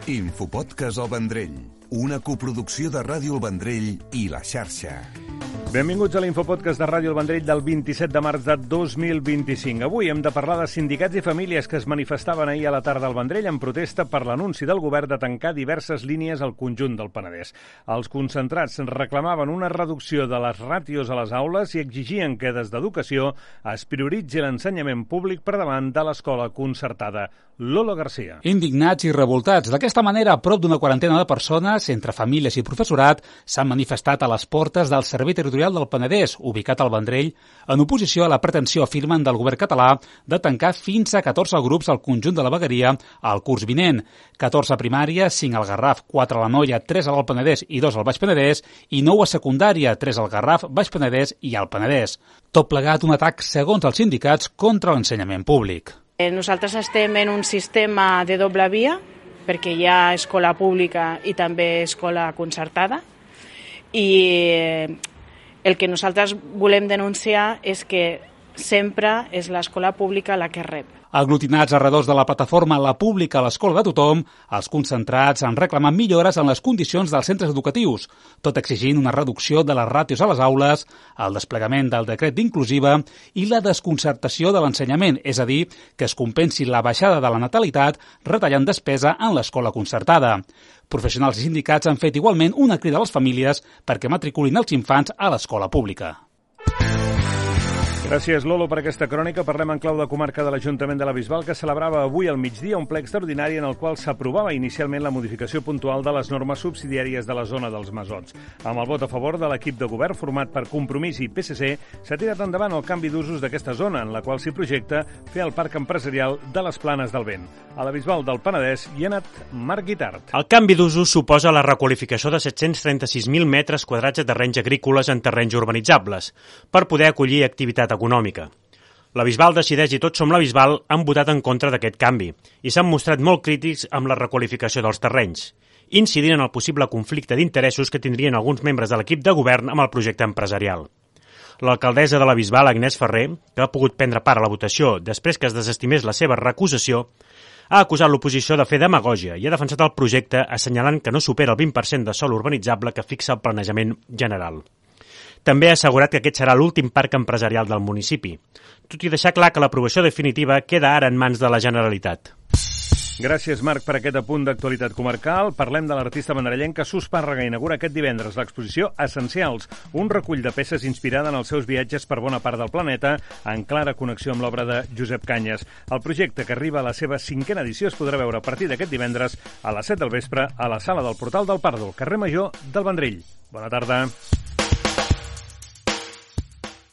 Infopodcast El Vendrell, una coproducció de Ràdio El Vendrell i La Xarxa. Benvinguts a l'Infopodcast de Ràdio El Vendrell del 27 de març de 2025. Avui hem de parlar de sindicats i famílies que es manifestaven ahir a la tarda al Vendrell en protesta per l'anunci del govern de tancar diverses línies al conjunt del Penedès. Els concentrats reclamaven una reducció de les ràtios a les aules i exigien que des d'Educació es prioritzi l'ensenyament públic per davant de l'escola concertada. Lolo Garcia. Indignats i revoltats. D'aquesta manera, prop d'una quarantena de persones, entre famílies i professorat, s'han manifestat a les portes del Servei Territorial del Penedès, ubicat al Vendrell, en oposició a la pretensió, afirmen, del govern català de tancar fins a 14 grups al conjunt de la vegueria al curs vinent. 14 a primària, 5 al Garraf, 4 a l'Anoia, 3 a l'Alt Penedès i 2 al Baix Penedès, i 9 a secundària, 3 al Garraf, Baix Penedès i Alt Penedès. Tot plegat un atac, segons els sindicats, contra l'ensenyament públic. Nosaltres estem en un sistema de doble via, perquè hi ha escola pública i també escola concertada, i el que nosaltres volem denunciar és que sempre és l'escola pública la que rep. Aglutinats alrededor de la plataforma La Pública a l'escola de tothom, els concentrats han reclamat millores en les condicions dels centres educatius, tot exigint una reducció de les ràtios a les aules, el desplegament del decret d'inclusiva i la desconcertació de l'ensenyament, és a dir, que es compensi la baixada de la natalitat retallant despesa en l'escola concertada. Professionals i sindicats han fet igualment una crida a les famílies perquè matriculin els infants a l'escola pública. Gràcies, Lolo, per aquesta crònica. Parlem en clau de comarca de l'Ajuntament de la Bisbal, que celebrava avui al migdia un ple extraordinari en el qual s'aprovava inicialment la modificació puntual de les normes subsidiàries de la zona dels Masots. Amb el vot a favor de l'equip de govern format per Compromís i PSC, s'ha tirat endavant el canvi d'usos d'aquesta zona, en la qual s'hi projecta fer el parc empresarial de les Planes del Vent. A la Bisbal del Penedès hi ha anat Marc Guitart. El canvi d'usos suposa la requalificació de 736.000 metres quadrats de terrenys agrícoles en terrenys urbanitzables, per poder acollir activitat econòmica. La Bisbal decideix i Tots som la Bisbal han votat en contra d'aquest canvi i s'han mostrat molt crítics amb la requalificació dels terrenys, incidint en el possible conflicte d'interessos que tindrien alguns membres de l'equip de govern amb el projecte empresarial. L'alcaldessa de la Bisbal, Agnès Ferrer, que ha pogut prendre part a la votació després que es desestimés la seva recusació, ha acusat l'oposició de fer demagògia i ha defensat el projecte assenyalant que no supera el 20% de sòl urbanitzable que fixa el planejament general. També ha assegurat que aquest serà l'últim parc empresarial del municipi, tot i deixar clar que l'aprovació definitiva queda ara en mans de la Generalitat. Gràcies, Marc, per aquest apunt d'actualitat comarcal. Parlem de l'artista vendrellenca Sus Pàrraga. Inaugura aquest divendres l'exposició Essencials, un recull de peces inspirada en els seus viatges per bona part del planeta, en clara connexió amb l'obra de Josep Canyes. El projecte, que arriba a la seva 5a edició, es podrà veure a partir d'aquest divendres a les 7 del vespre a la sala del Portal del Pardo, al carrer Major del Vendrell. Bona tarda.